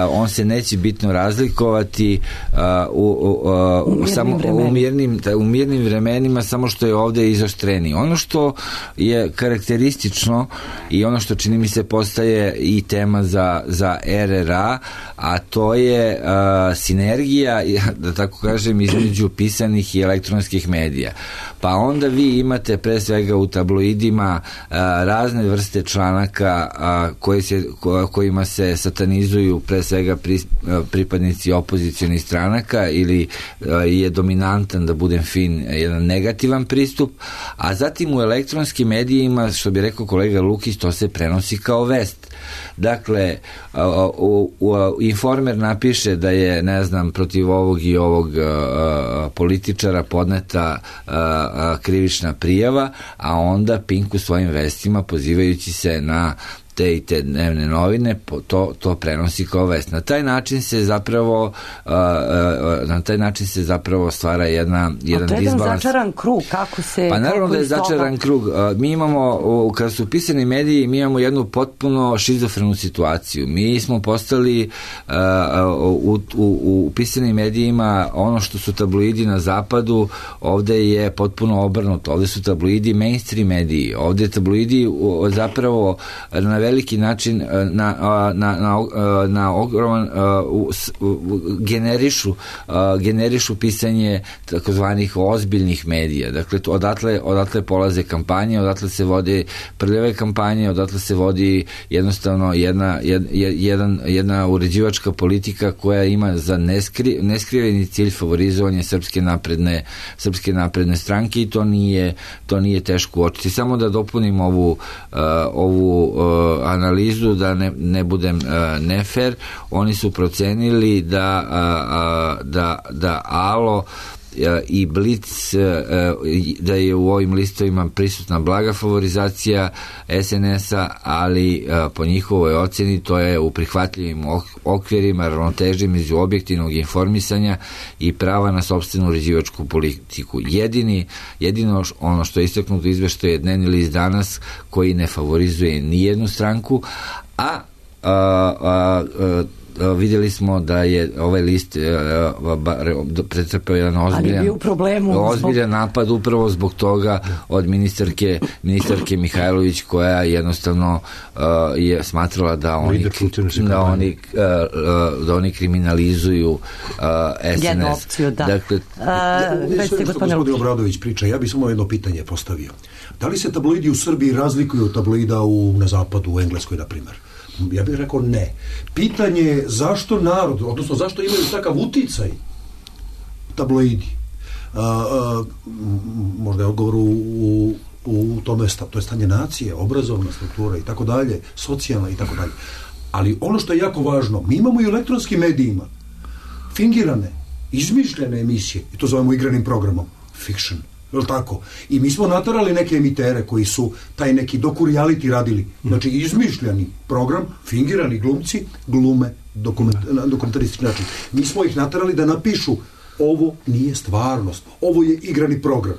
on se neće bitno razlikovati uh, u, u, uh, samo u mirnim, u mirnim vremenima, samo što je ovde izoštreni. Ono što je karakteristično i ono što čini mi se postaje i tema za, za R R A, a to je uh, sinergija, da tako kažem, između pisanih i elektronskih medija. Pa onda vi imate pre svega u tabloidima a, razne vrste članaka a, koji se, ko, kojima se satanizuju pre svega pri, a, pripadnici opozicionih stranaka ili a, je dominantan, da budem fin, jedan negativan pristup, a zatim u elektronskim medijima, što bi rekao kolega Lukić, to se prenosi kao vest. Dakle, u, u, u Informer napiše da je, ne znam, protiv ovog i ovog a, političara podneta a, a, krivična prijava, a onda Pink u svojim vestima, pozivajući se na te i te dnevne novine, to, to prenosi kao vest. Na taj način se zapravo uh, uh, na taj način se zapravo stvara jedna, jedan disbalans. A to je jedan začaran krug, kako se... Pa naravno da je začaran krug. Uh, mi imamo, uh, kada su pisani mediji, mi imamo jednu potpuno šizofrenu situaciju. Mi smo postali uh, u, u, u pisanim medijima ono što su tabloidi na zapadu, ovde je potpuno obrnuto. Ovde su tabloidi mainstream mediji. Ovde tabloidi uh, zapravo na veliki način na, na, na, na ogroman generišu generišu pisanje takozvanih ozbiljnih medija. Dakle, odatle, odatle polaze kampanje, odatle se vode prljave kampanje, odatle se vodi jednostavno jedna, jed, jedan, jedna uređivačka politika koja ima za neskri, neskriveni cilj favorizovanje srpske napredne, srpske napredne stranke i to nije, to nije teško uočiti. Samo da dopunim ovu, uh, ovu uh, analizu, da ne, ne budem uh, nefer, oni su procenili da, uh, uh, da, da Alo i Blic, da je u ovim listovima prisutna blaga favorizacija S N S-a, ali po njihovoj oceni to je u prihvatljivim okvirima ravnoteže među objektivnog informisanja i prava na sopstvenu uređivačku politiku. Jedini, jedino ono što je istaknuto izveštaju je dnevni list Danas, koji ne favorizuje ni jednu stranku, a, a, a, a vidjeli smo da je ovaj list pretrpeo jedan ozbiljan, ozbiljan napad upravo zbog toga od ministarke, ministarke Mihajlović, koja jednostavno uh, je smatrala da oni, da oni, uh, da oni kriminalizuju uh, S N S. Opciju, da. Dakle, uh, sve što gospodin Obradović priča, ja bih samo jedno pitanje postavio. Da li se tabloidi u Srbiji razlikuju od tabloida u, na zapadu, u Engleskoj, na primjer? Ja bih rekao ne. Pitanje je zašto narod, odnosno zašto imaju takav uticaj tabloidi. A, a, možda je odgovor u, u, u tome, to je stanje nacije, obrazovna struktura i tako dalje, socijalna i tako dalje. Ali ono što je jako važno, mi imamo i u elektronskim medijima fingirane izmišljene emisije, i to zovemo igranim programom, fiction, je li tako? I mi smo natarali neke emitere koji su taj neki doku-reality radili, znači izmišljeni program, fingirani glumci, glume dokument, na dokumentaristički način. Mi smo ih natarali da napišu ovo nije stvarnost, ovo je igrani program.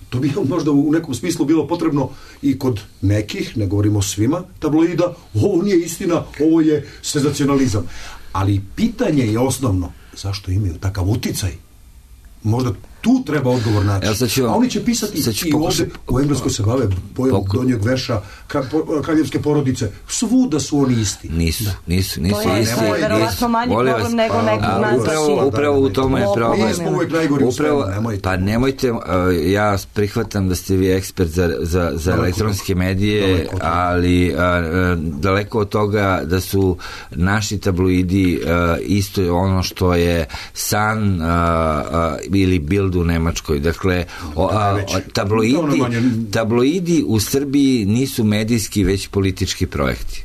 To bi možda u nekom smislu bilo potrebno i kod nekih, ne govorimo svima, tabloida, ovo nije istina, ovo je senzacionalizam. Ali pitanje je osnovno, zašto imaju takav uticaj? Možda tu treba odgovor naći. A oni će pisati i ovde, u Engleskoj se bave bojom donjeg veša, kraljevske porodice, svuda su oni isti. Nisu, nisu, nisu to je isti. To je verovatno manji problem nego nekog nas. Upravo, upravo u tome je problem. Mi smo uvijek najgori u svemu, nemojte. Pa nemojte, ja prihvatam da ste vi ekspert za, za, za elektronske medije, ali a, daleko od toga da su naši tabloidi a, isto ono što je Sun a, a, ili Bild u Nemačkoj. Dakle, o, a, tabloidi, tabloidi u Srbiji nisu medijski, već politički projekti.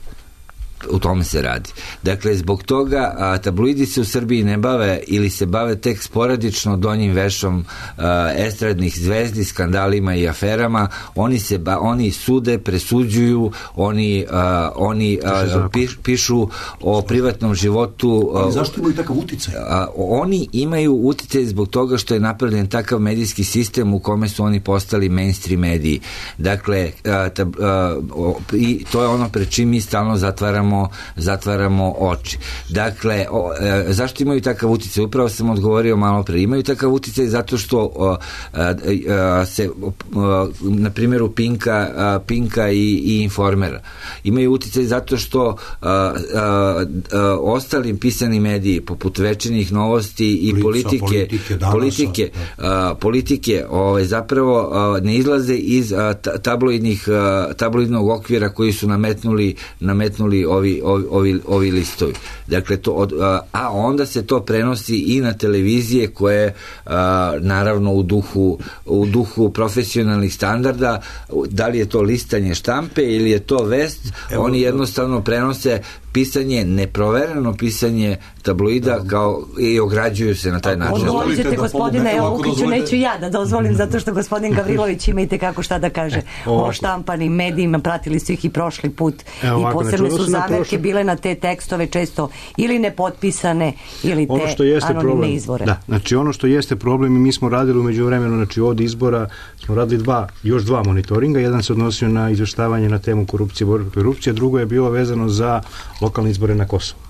U tome se radi. Dakle, zbog toga a, tabloidi se u Srbiji ne bave ili se bave tek sporadično donjim vešom a, estradnih zvezdi, skandalima i aferama. Oni se ba, oni sude, presuđuju, oni, a, oni a, piš, pišu o privatnom životu. Ali zašto imaju takav uticaj? A, oni imaju uticaj zbog toga što je napravljen takav medijski sistem u kome su oni postali mainstream mediji. Dakle, a, tab, a, o, i to je ono pred čim mi stalno zatvaramo zatvaramo oči. Dakle, o, e, zašto imaju takav uticaj? Upravo sam odgovorio malo pre. Imaju takav uticaj zato što o, a, a, se a, na primjeru Pinka, a, Pinka i, i Informera. Imaju uticaj zato što a, a, a, ostalim pisani mediji poput Večernjih novosti i Lica, politike politike, danasa, politike, a, politike ovaj, zapravo a, ne izlaze iz a, tabloidnih a, tabloidnog okvira koji su nametnuli nametnuli Ovi, ovi, ovi, ovi listovi. Dakle, to od, a, a onda se to prenosi i na televizije koje a, naravno u duhu, u duhu profesionalnih standarda, da li je to listanje štampe ili je to vest, Evo, oni jednostavno prenose pisanje, neprovereno pisanje tabloida kao i ograđuju se na taj način. Odgovorit ćete, gospodine Lukiću, neću ja da dozvolim, zato što gospodin Gavrilović ima i tekako šta da kaže o štampanim medijima, pratili su ih i prošli put i posebne su zamerke bile na te tekstove često ili nepotpisane ili te anonimne izvore. Da, znači ono što jeste problem, i mi smo radili u međuvremenu, znači od izbora smo radili dva, još dva monitoringa, jedan se odnosio na izveštavanje na temu korupcije, borbe protiv korupcije, drugo je bilo vezano za lokalne izbore na Kosovu.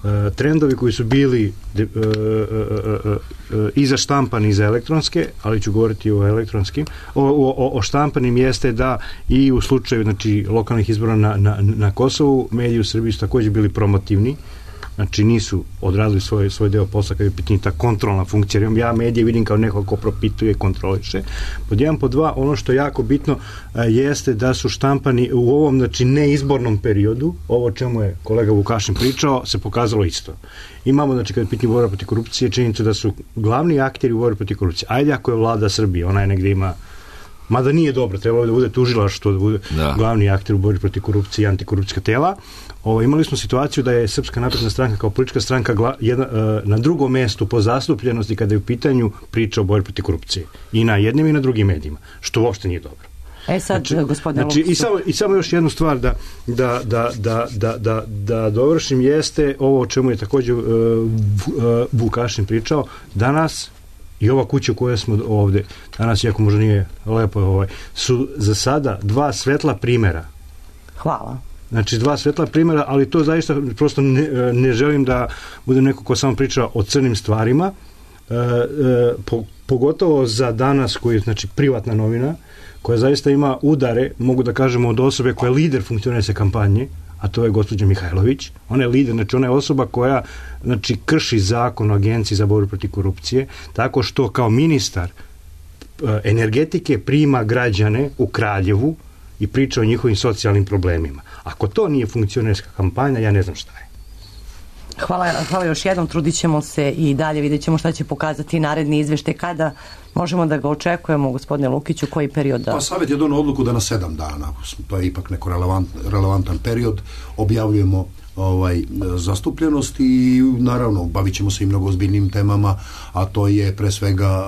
E, trendovi koji su bili de, e, e, e, e, i za štampani i za elektronske, ali ću govoriti o elektronskim, o, o, o štampanim jeste da i u slučaju znači, lokalnih izbora na, na, na Kosovu, mediji u Srbiji su također bili promotivni, znači nisu odradili svoj, svoj deo posla kada je pitanje ta kontrolna funkcija. Ja medije vidim kao neko ko propituje, kontroliše. Pod jedan, pod dva, ono što je jako bitno a, jeste da su štampani u ovom znači neizbornom periodu, ovo o čemu je kolega Vukašin pričao, se pokazalo isto. Imamo, znači, kada je pitanje borba protiv korupcije, činjenica da su glavni akteri u borbi protiv korupcije. Ajde ako je vlada Srbije, ona je negde ima, mada nije dobro, trebalo da bude tužilaštvo, da bude da. glavni akter u borbi protiv korupcije i antikorupcijska tela. Ovo, imali smo situaciju da je Srpska napredna stranka kao politička stranka gla, jedna, uh, na drugom mestu po zastupljenosti kada je u pitanju priča o borbi protiv korupcije. I na jednim i na drugim medijima, što uopšte nije dobro. E sad, znači, gospodine znači, i, samo, i samo još jednu stvar da, da, da, da, da, da, da dovršim jeste ovo o čemu je također uh, Vukašin pričao. Danas i ova kuća koja smo ovde, danas, iako možda nije lepo, ovaj, su za sada dva svetla primjera. Hvala. Znači, dva svetla primjera, ali to zaista prosto ne, ne želim da budem neko ko samo priča o crnim stvarima, e, e, po, pogotovo za danas koji je, znači, privatna novina, koja zaista ima udare, mogu da kažemo, od osobe koja je lider funkcionalne kampanje, a to je gospođa Mihajlović. Ona je lider, znači ona je osoba koja znači, krši zakon o Agenciji za borbu protiv korupcije, tako što kao ministar e, energetike prima građane u Kraljevu i priča o njihovim socijalnim problemima. Ako to nije funkcionerska kampanja, ja ne znam šta je. Hvala, hvala još jednom, trudit ćemo se i dalje, vidjet ćemo šta će pokazati naredni izveštaj kada možemo da ga očekujemo, gospodine Lukiću, koji period da... Pa Savet je donao odluku da na sedam dana, to je ipak neko relevant, relevantan period, objavljujemo ovaj, zastupljenost i naravno bavit ćemo se i mnogo ozbiljnim temama, a to je pre svega,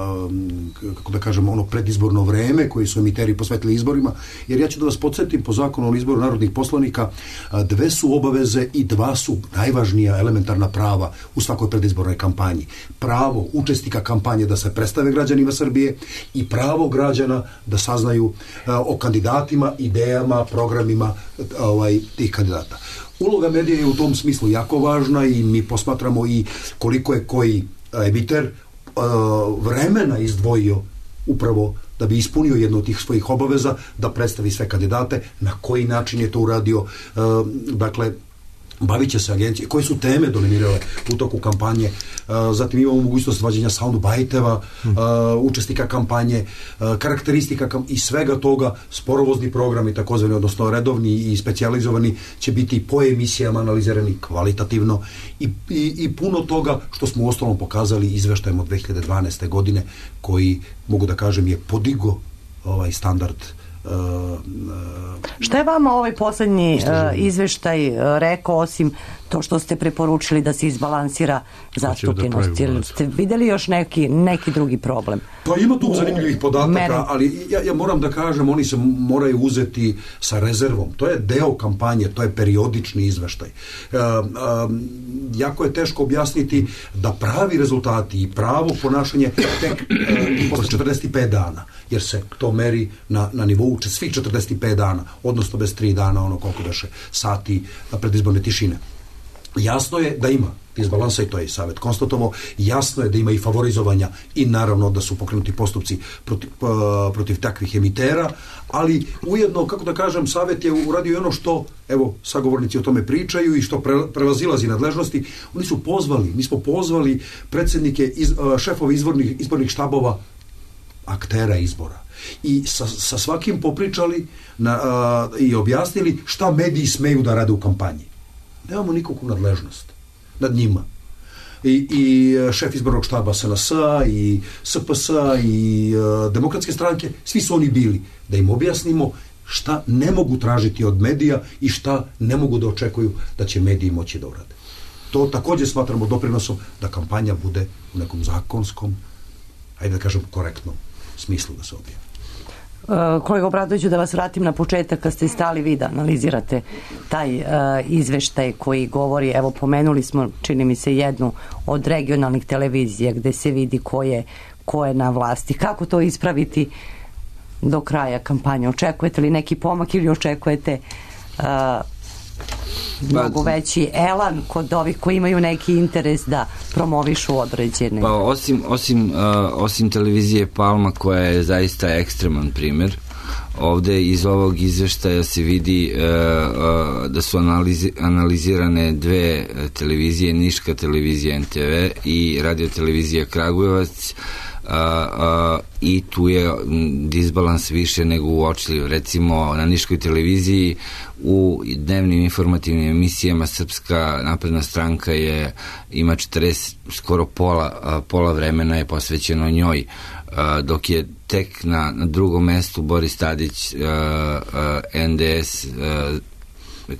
kako da kažemo, ono predizborno vreme koji su emiteri posvetili izborima, jer ja ću da vas podsjetim, po zakonu o izboru narodnih poslanika, dve su obaveze i dva su najvažnija elementarna prava u svakoj predizbornoj kampanji. Pravo učesnika kampanje da se predstave građanima Srbije i pravo građana da saznaju o kandidatima, idejama, programima ovaj, tih kandidata. Uloga medija je u tom smislu jako važna i mi posmatramo i koliko je koji emiter vremena izdvojio upravo da bi ispunio jednu od tih svojih obaveza, da predstavi sve kandidate, na koji način je to uradio, dakle, bavit će se agencije, koje su teme dominirale u toku kampanje, zatim imamo mogućnost vađenja soundbajteva, učesnika kampanje, karakteristika i svega toga, sporovozni programi, takozvani, odnosno redovni i specijalizovani, će biti po emisijama analizirani kvalitativno i, i, i puno toga što smo u ostalom pokazali izveštajem od dve hiljade dvanaeste. godine, koji, mogu da kažem, je podigo ovaj standard. Uh, uh, Šta je vama ovaj poslednji uh, izveštaj uh, rekao, osim to što ste preporučili da se izbalansira zastupljenost? Da ste videli još neki, neki drugi problem? Pa ima tu zanimljivih podataka, Meri. ali ja, ja moram da kažem, oni se moraju uzeti sa rezervom. To je deo kampanje, to je periodični izveštaj. Uh, um, jako je teško objasniti da pravi rezultati i pravo ponašanje tek uh, posle četrdeset pet dana, jer se to meri na, na nivou svih četrdeset pet dana, odnosno bez tri dana, ono koliko beše sati predizborne tišine. Jasno je da ima disbalansa i to je Savet konstatovao, jasno je da ima i favorizovanja i naravno da su pokrenuti postupci protiv, uh, protiv takvih emitera, ali ujedno, kako da kažem, Savet je uradio ono što, evo, sagovornici o tome pričaju i što pre, prevazilazi nadležnosti. Oni su pozvali, mi smo pozvali predsjednike, iz, uh, šefove izbornih, izbornih štabova aktera izbora i sa, sa svakim popričali na, a, i objasnili šta mediji smeju da rade u kampanji. Nemamo nikakvu nadležnost nad njima. I, i šef izbornog štaba S N S-a i S P S-a i a, Demokratske stranke, svi su oni bili da im objasnimo šta ne mogu tražiti od medija i šta ne mogu da očekuju da će mediji moći da urade. To također smatramo doprinosom da kampanja bude u nekom zakonskom, ajde da kažem, korektnom smislu da se odvija. Uh, kolega Obradoviću, da vas vratim na početak kad ste stali vi da analizirate taj uh, izveštaj koji govori, evo pomenuli smo, čini mi se, jednu od regionalnih televizija gde se vidi ko je, ko je na vlasti. Kako to ispraviti do kraja kampanje? Očekujete li neki pomak ili očekujete uh, mnogo veći elan kod ovih koji imaju neki interes da promovišu određene? Pa osim, osim, uh, osim televizije Palma, koja je zaista ekstreman primer, ovde iz ovog izveštaja se vidi uh, uh, da su analizi, analizirane dve televizije, Niška televizija N T V i radio televizija Kragujevac, Uh, uh, i tu je disbalans više nego uočljiv. Recimo na Niškoj televiziji u dnevnim informativnim emisijama Srpska napredna stranka je ima četrdeset, skoro pola, uh, pola vremena je posvećeno njoj, uh, dok je tek na, na drugom mestu Boris Tadić, uh, uh, N D S uh,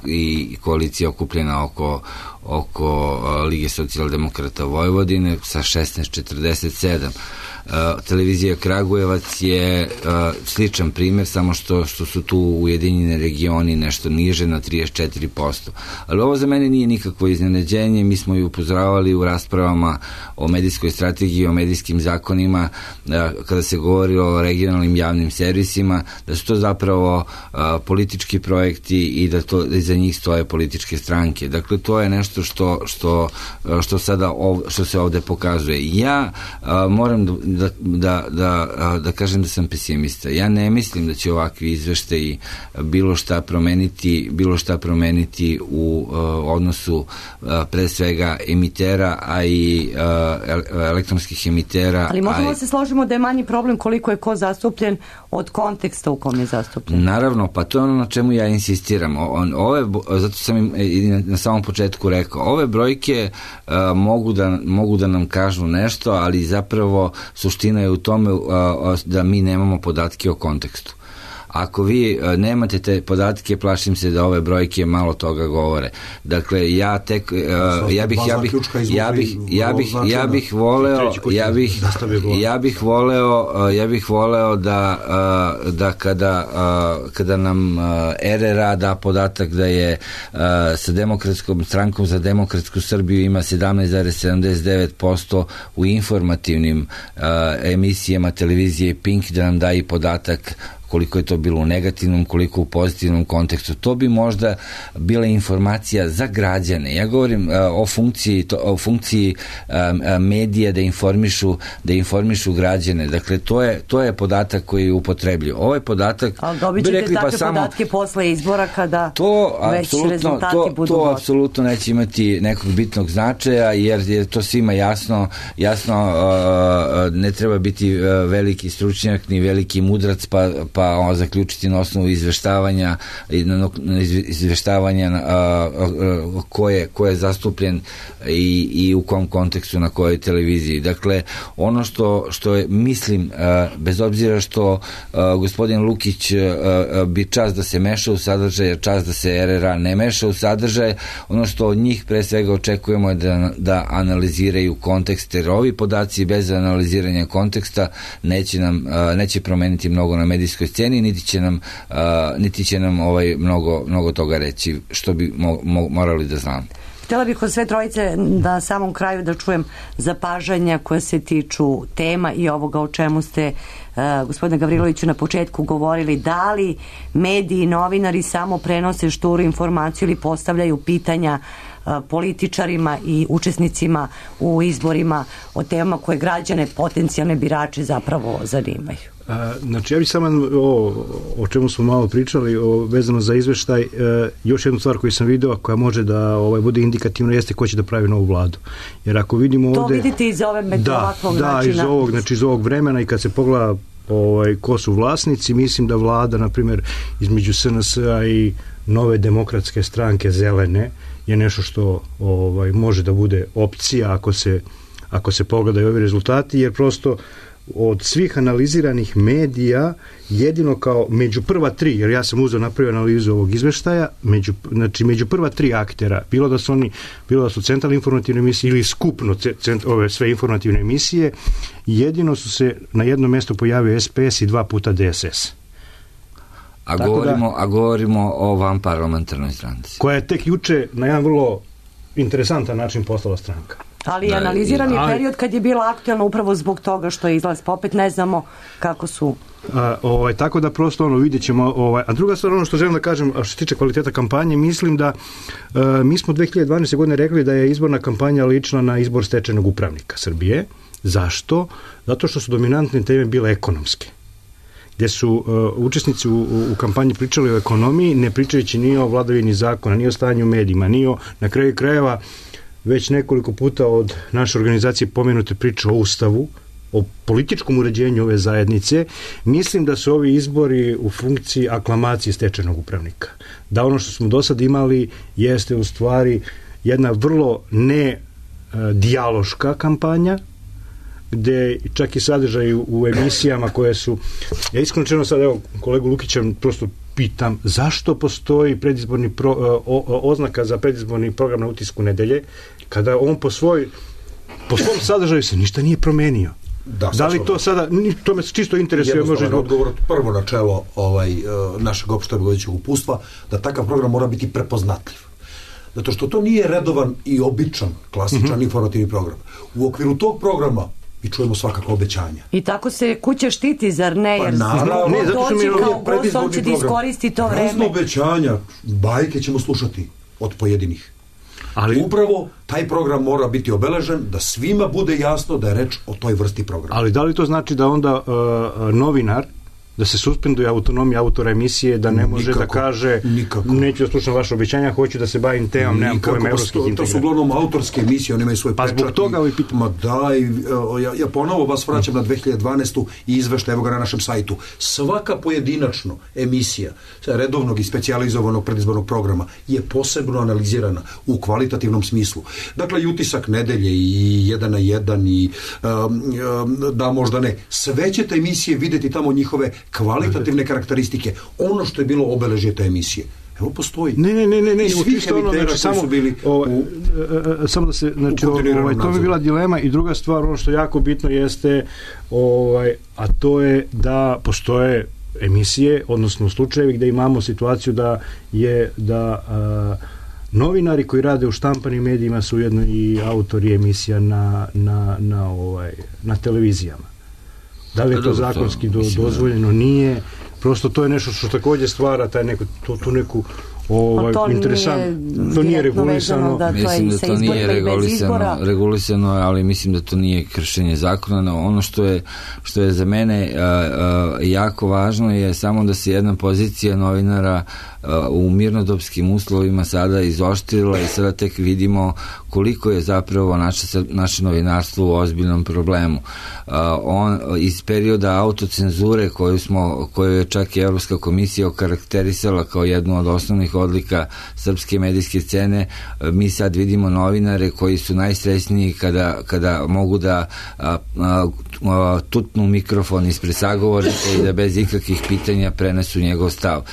i koalicija okupljena oko, oko uh, Lige socijaldemokrata Vojvodine sa šesnaest četrdeset sedam. Uh, televizija Kragujevac je uh, sličan primjer, samo što, što su tu Ujedinjeni regioni nešto niže na trideset četiri posto. Ali ovo za mene nije nikakvo iznenađenje, mi smo i upozoravali u raspravama o medijskoj strategiji, o medijskim zakonima, uh, kada se govori o regionalnim javnim servisima, da su to zapravo uh, politički projekti i da to da iza njih stoje političke stranke. Dakle, to je nešto što, što, što, sada ov, što se ovde pokazuje. Ja uh, moram da Da, da, da, da kažem da sam pesimista. Ja ne mislim da će ovakvi izveštaji bilo šta promeniti, bilo šta promeniti u uh, odnosu uh, pre svega emitera, a i uh, elektronskih emitera. Ali možemo a i... se složimo da je manji problem koliko je ko zastupljen od konteksta u kom je zastupljen. Naravno, pa to je ono na čemu ja insistiram. On, ove, zato sam im na samom početku rekao, ove brojke uh, mogu, da, mogu da nam kažu nešto, ali zapravo suština je u tome da mi nemamo podatke o kontekstu. Ako vi nemate te podatke, plašim se da ove brojke malo toga govore. Dakle, ja tek ja bih ja bih ja bih ja bih ja bih voleo ja bih ja bih voleo ja bih voleo da da kada kada nam R R A da podatak da je sa Demokratskom strankom za demokratsku Srbiju ima sedamnaest zarez sedamdeset devet posto u informativnim emisijama televizije Pink, da nam da i podatak koliko je to bilo u negativnom, koliko u pozitivnom kontekstu. To bi možda bila informacija za građane. Ja govorim uh, o funkciji, to, o funkciji um, medija da informišu, da informišu građane. Dakle, to je, to je podatak koji upotrebljuju. Ovaj podatak... Ali dobit ćete rekli, takve pa samo, podatke posle izbora kada to, već rezultati to, budu... To apsolutno neće imati nekog bitnog značaja, jer je to svima jasno, jasno uh, ne treba biti uh, veliki stručnjak ni veliki mudrac, pa, pa pa zaključiti na osnovu izveštavanja izveštavanja a, a, ko, je, ko je zastupljen i, i u kom kontekstu na kojoj televiziji. Dakle, ono što, što je, mislim, a, bez obzira što a, gospodin Lukić a, a, bi čas da se meša u sadržaj, čas da se R R A ne meša u sadržaj, ono što od njih pre svega očekujemo je da, da analiziraju kontekst, jer ovi podaci bez analiziranja konteksta neće nam, a, neće promeniti mnogo na medijskoj sceni, niti će nam, uh, niti će nam ovaj mnogo, mnogo toga reći, što bi mo, mo, morali da znamo. Htjela bih od sve trojice na samom kraju da čujem zapažanja koja se tiču tema i ovoga o čemu ste uh, gospodine Gavriloviću na početku govorili. Da li mediji i novinari samo prenose šturu informaciju ili postavljaju pitanja uh, političarima i učesnicima u izborima o temama koje građane, potencijalne birače zapravo zanimaju? A, znači, ja bih samo o, o čemu smo malo pričali, o, vezano za izveštaj, e, još jednu stvar koju sam video, koja može da ovaj, bude indikativno, jeste ko će da pravi novu vladu. Jer ako vidimo to ovde... To vidite iz ove među da, ovakvog da, načina. iz ovog, znači iz ovog vremena, i kad se pogleda ovaj, ko su vlasnici, mislim da vlada, na primjer, između S N S-a i Nove demokratske stranke Zelene je nešto što ovaj, može da bude opcija ako se, ako se pogledaju ovi rezultati, jer prosto od svih analiziranih medija jedino kao među prva tri, jer ja sam uzeo napravio analizu ovog izveštaja, među, znači među prva tri aktera, bilo da su oni, bilo da su centralne informativne emisije ili skupno cent, ove sve informativne emisije, jedino su se na jednom mjestu pojavio S P S i dva puta D S S. A govorimo, da, a govorimo o vanparlamentarnoj stranci. Koja je tek juče na jedan vrlo interesantan način postala stranka. Ali je analiziran je period kad je bila aktualna upravo zbog toga što je izlaz, pa opet ne znamo kako su. A, ovaj, tako da prosto ono vidjet ćemo, ovaj, a druga stvar, ono što želim da kažem, a što se tiče kvaliteta kampanje, mislim da a, mi smo dve hiljade dvanaeste. godine rekli da je izborna kampanja lična na izbor stečajnog upravnika Srbije. Zašto? Zato što su dominantne teme bile ekonomske, gdje su uh, učesnici u, u kampanji pričali o ekonomiji, ne pričajući ni o vladavini zakona, ni o stanju u medijima, ni o, na kraju krajeva, već nekoliko puta od naše organizacije pomenute priče o Ustavu, o političkom uređenju ove zajednice. Mislim da su ovi izbori u funkciji aklamacije stečajnog upravnika. Da ono što smo do sad imali jeste u stvari jedna vrlo ne dijaloška kampanja, gde čak i sadržaj u emisijama koje su, ja iskreno čeno sad, evo, kolegu Lukića prosto pitam, zašto postoji predizborni pro, o, o, oznaka za predizborni program na Utisku nedelje, kada on po svoj po svom sadržaju se ništa nije promenio. Da, da li to sada, to me čisto interesuje, može odgovor, prvo načelo ovaj, našeg opštevodećeg upustva, da takav program mora biti prepoznatljiv. Zato što to nije redovan i običan, klasičan mm-hmm. informativni program. U okviru tog programa i čujemo svakako obećanja. I tako se kuća štiti, zar ne? Jer pa naravno, ne, zato što mi je kao gost, on će da iskoristi to vreme. Razno obećanja, bajke ćemo slušati od pojedinih. Ali upravo taj program mora biti obeležen da svima bude jasno da je reč o toj vrsti programa. Ali da li to znači da onda uh, novinar, da se suspenduje autonomija autora emisije, da ne može nikako, da kaže nikako. Neću da slušam vaše obećanja, hoću da se bavim temom, nemam pojma evropskih integracija. To su uglavnom autorske emisije, oni imaju svoj pa pečat. Pa zbog toga ovi pitam. Ma daj, ja, ja ponovo vas vraćam na dve hiljade dvanaestu i izveštaj, evo ga na našem sajtu. Svaka pojedinačno emisija redovnog i specijalizovanog predizbornog programa je posebno analizirana u kvalitativnom smislu. Dakle, i utisak nedelje i jedan na jedan i um, um, da možda ne. Sve ćete emisije vidjeti tamo njihove kvalitativne karakteristike. Ono što je bilo obeležje te emisije. Evo postoji. Ne, ne, ne, ne, ne, I svih emitera koji samo, su bili ovaj, u, samo da se, znači, ovaj, to mi bila dilema i druga stvar, ono što je jako bitno jeste, ovaj, a to je da postoje emisije, odnosno slučajevi gde imamo situaciju da je da a, novinari koji rade u štampanim medijima su ujedno i autori emisija na, na, na, ovaj, na televizijama. Da li je to zakonski do, dozvoljeno? Nije. Prosto to je nešto što takođe stvara taj neko, to, tu neku ovaj, to interesant. Nije to nije regulisano. Da, mislim da to nije regulisano, regulisano, ali mislim da to nije kršenje zakona. No, ono što je, što je za mene a, a, jako važno je samo da se jedna pozicija novinara a, u mirnodopskim uslovima sada izoštrila i sada tek vidimo koliko je zapravo naše, naše novinarstvo u ozbiljnom problemu. A, on, iz perioda autocenzure koju, smo, koju je čak i Evropska komisija okarakterisala kao jednu od osnovnih odlika srpske medijske scene, mi sad vidimo novinare koji su najsrećniji kada, kada mogu da a, a, a, tutnu mikrofon ispred sagovornika i da bez ikakvih pitanja prenesu njegov stav. A,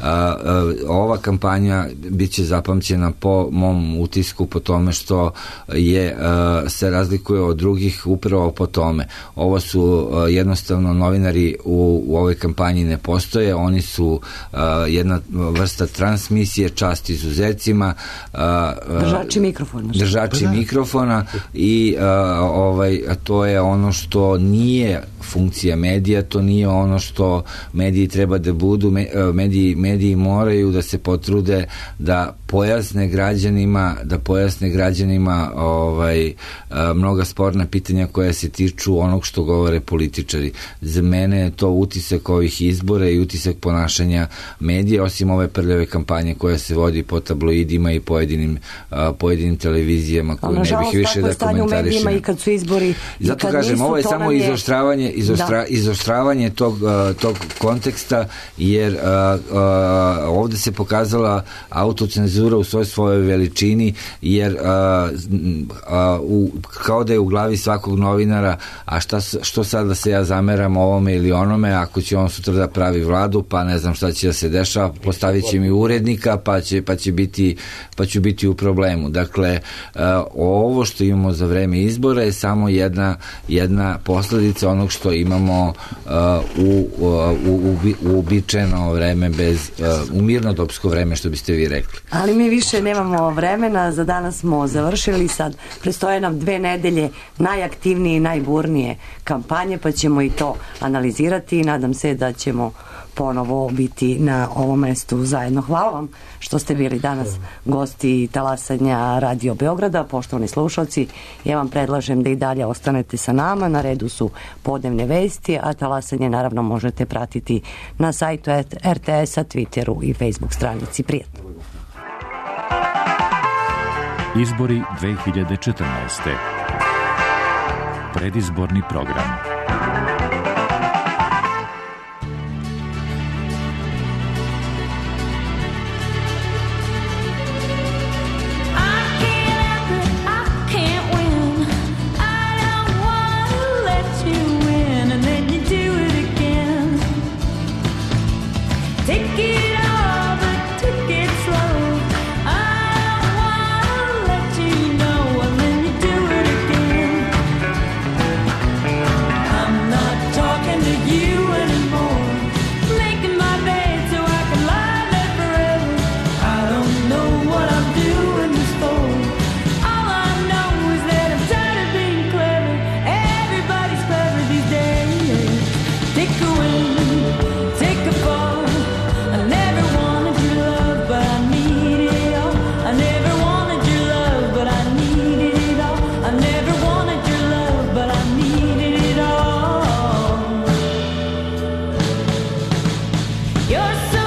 a, ova kampanja bit će zapamćena po mom utisku po tome što je a, se razlikuje od drugih upravo po tome. Ovo su a, jednostavno novinari u, u ovoj kampanji ne postoje, oni su a, jedna vrsta transmisije, čast izuzecima, a, držači mikrofona držači da. mikrofona i a, ovaj, a to je ono što nije funkcija medija, to nije ono što mediji treba da budu. Mediji, mediji moraju da se potrude da pojasne građanima, da pojasne građanima ovaj, mnoga sporna pitanja koja se tiču onog što govore političari. Za mene je to utisak ovih izbora i utisak ponašanja medija, osim ove prljave kampanje koja se vodi po tabloidima i pojedinim, pojedinim televizijama koju ne bih više da komentarišem. I kad su izbori, zato kad kažem, nisu, ovo je samo je... izoštravanje, izostra, da. izoštravanje tog, tog konteksta, jer uh, uh, ovde se pokazala autocenzura u svoj svojoj veličini, jer uh, uh, u, kao da je u glavi svakog novinara, a šta, što sad da se ja zameram ovome ili onome, ako će on sutra da pravi vladu, pa ne znam šta će da se dešava, postavit će mi urednika, pa će, pa će biti pa ću biti u problemu. Dakle, uh, ovo što imamo za vreme izbora je samo jedna, jedna posledica onog što imamo uh, u, uh, u, u uobičajeno vreme, bez, uh, u mirnodopsko vreme, što biste vi rekli. Ali mi više nemamo vremena, za danas smo završili, sad prestoje nam dve nedelje najaktivnije i najburnije kampanje, pa ćemo i to analizirati i nadam se da ćemo ponovo biti na ovom mestu zajedno. Hvala vam što ste bili danas gosti talasanja Radio Beograda. Poštovani slušalci, ja vam predlažem da i dalje ostanete sa nama. Na redu su podnevne vesti, a talasanje naravno možete pratiti na sajtu er te es-a, Twitteru i Facebook stranici. Prijatno. Izbori dve hiljade četrnaeste. Predizborni program. Never You're so